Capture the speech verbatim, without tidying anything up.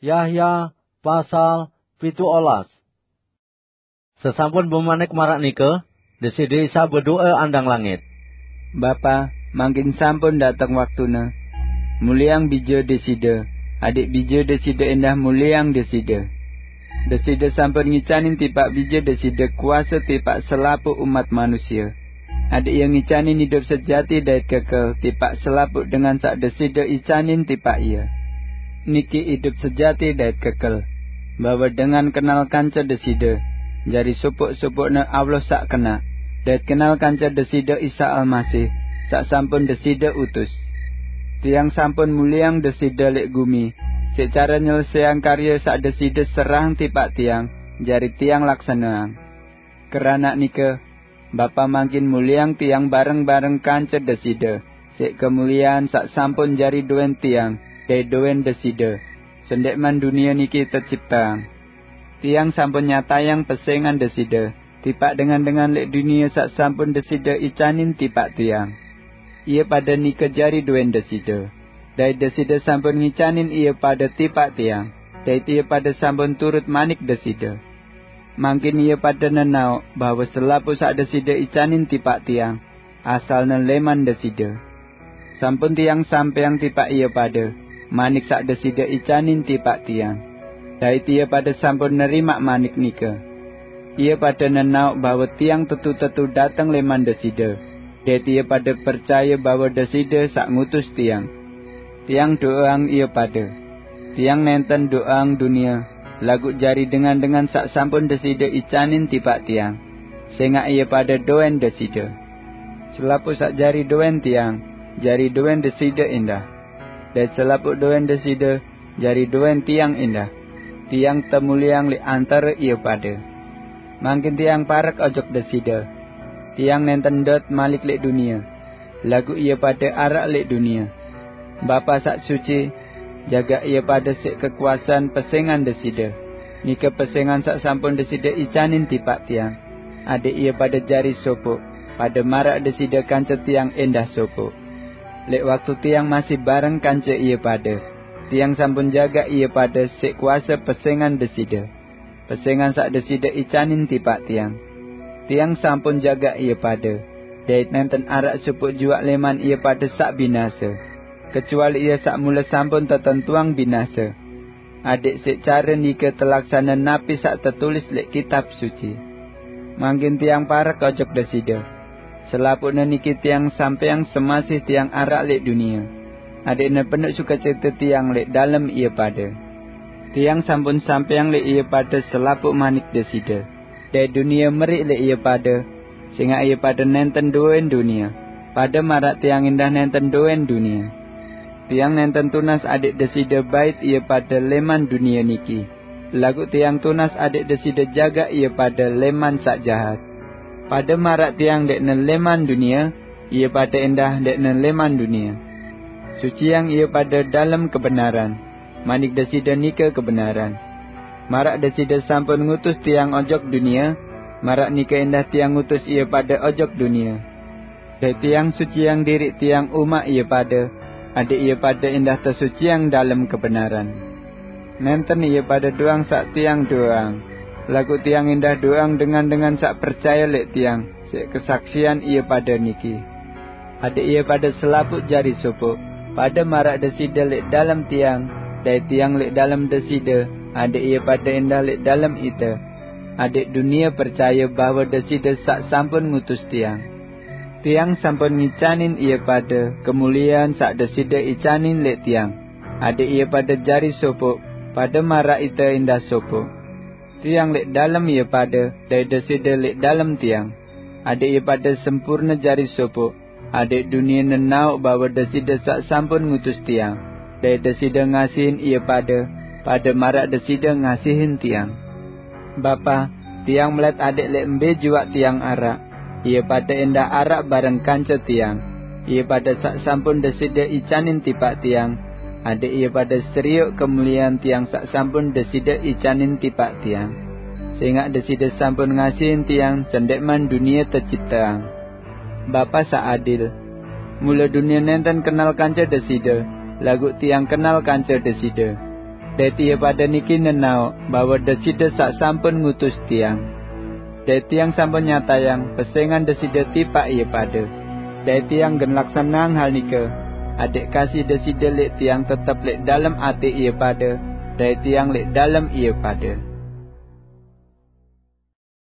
Yahya pasal pitu olas. Sesampun bemanik maraq nike, Deside Isa bedoe andang langit. "Bapa, mangkin sampun dateng waktune. Mulihang Bija Deside, adik Bija Deside endah mulihang Deside. Deside sampun ngicanin tipaq Bija Deside kuasa tipaq selapuq umat manusia. Adik Ia ngicanin idup sejati dait kekel tipaq selapuq dengan saq Deside icanin tipaq Ia. Niki idup sejati dait kekel, bahwe dengan kenal kance Deside, jari sopoq-sopoqne Allah saq kenaq, dait kenal kance Deside Isa Almasih, saq sampun Deside utus. Tiang sampun mulihang Deside leq gumi, siq care nyelesaiang karye saq Deside serahang tipaq tiang, jari tiang laksaneang. Keranaq nike, Bapa mangkin mulihang tiang bareng-bareng kance Deside, siq kemuliean saq sampun jari doen tiang dait doen Deside, sendeqman dunie niki tecipteang. Tiang sampun nyatayang pesengan Deside tipaq dengan-dengan leq dunie saq sampun Deside icanin tipaq tiang. Ie pade nike jari doen Deside, dait Deside sampun ngicanin ie pade tipaq tiang, dait ie pade sampun turut manik Deside. Mangkin ie pade nenaoq bahwe selapuq saq Deside icanin tipaq tiang, asalne leman Deside. Sampun tiang sampeyang tipaq ie pade manik saq Deside icanin tipaq tiang, dait ie pade sampun nerimaq manik nike. Ie pade nenaoq bahwe tiang tetu-tetu dateng leman Deside, dait ie pade percaye bahwe Deside saq ngutus tiang. Tiang do'eang ie pade. Tiang nenten do'eang dunie, laguq jari dengan-dengan saq sampun Deside icanin tipaq tiang, sengaq ie pade doen Deside. Selapuq saq jari doen tiang, jari doen Deside endah. Dait selapuq doen Deside, jari doen tiang endah. Tiang temulieang leq antare ie pade. Mangkin tiang parek ojok Deside. Tiang nenten ndot malik leq dunie, laguq ie pade araq leq dunie. Bapa saq suci, jagaq ie pade siq kekuasean pesengan Deside, nike pesengan saq sampun Deside icanin tipaq tiang, adik ie pade jari sopoq, pade maraq Deside kance tiang endah sopoq. Leq waktu tiang masih bareng kance ie pade, tiang sampun jagaq ie pade siq kuase pesengan Deside, pesengan saq Deside icanin tipaq tiang. Tiang sampun jagaq ie pade, dait nenten araq sopoq juaq leman ie pade saq binase, kecuali ie saq mule sampun tetentuang binase, adik siq care nike telaksane napi saq tetulis leq Kitab Suci. Mangkin tiang parek ojok Deside. Selapuqne niki tiang sampeyang semasih tiang araq leq dunie, adikne penuq sukecite tiang leq dalem ie pade. Tiang sampun sampeyang leq ie pade selapuq manik Deside, dait dunie meriq leq ie pade, sengaq ie pade nenten doen dunie, pade maraq tiang endah nenten doen dunie. Tiang nenten tunas adik Deside bait ie pade leman dunie niki, laguq tiang tunas adik Deside jagaq ie pade leman saq jahat. Pade maraq tiang ndeqne leman dunie, ie pade endah ndeqne leman dunie. Suciang ie pade dalem kebenaran, manik Deside nike kebenaran. Maraq Deside sampun ngutus tiang ojok dunie, maraq nike endah tiang ngutus ie pade ojok dunie. Dait tiang suciang diriq tiang umaq ie pade, adik ie pade endah tesuciang dalem kebenaran. Nenten ie pade doang saq tiang doang, laguq tiang endah doang dengan-dengan saq percaye leq tiang siq kesaksian ie pade niki. Adik ie pade selapuq jari sopoq, pade maraq Deside leq dalem tiang, dait tiang leq dalem Deside, adik ie pade endah leq dalem ite, adik dunie percaye bahwe Deside saq sampun ngutus tiang. Tiang sampun ngicanin ie pade kemuliean saq Deside icanin leq tiang, adik ie pade jari sopoq, pade maraq ite endah sopoq. Tiang leq dalem ie pade, dait Deside leq dalem tiang, adik ie pade sempurne jari sopoq, adik dunie nenaoq bahwe Deside saq sampun ngutus tiang, dait Deside ngasihin ie pade, pade maraq Deside ngasihin tiang. Bapa, tiang melet adik leq mbe juaq tiang araq, ie pade endah araq bareng kance tiang. Ie pade saq sampun Deside icanin tipaq tiang, adik ie pade serioq kemuliean tiang saq sampun Deside icanin tipaq tiang. Sengaq Deside sampun ngasihin tiang sendeqman dunie tecipteang. Bapa saq adil, mule dunie nenten kenal kance Deside, laguq tiang kenal kance Deside. dait ie pade niki nenaoq bahwe Deside saq sampun ngutus tiang. Dait tiang sampun nyatayang pesengan Deside tipaq ie pade. Dait tiang gen laksaneang hal nike, adẽq kasih Deside lẽq tiang tetep lẽq dalem atẽ ie pade, dait tiang lẽq dalem ie pade.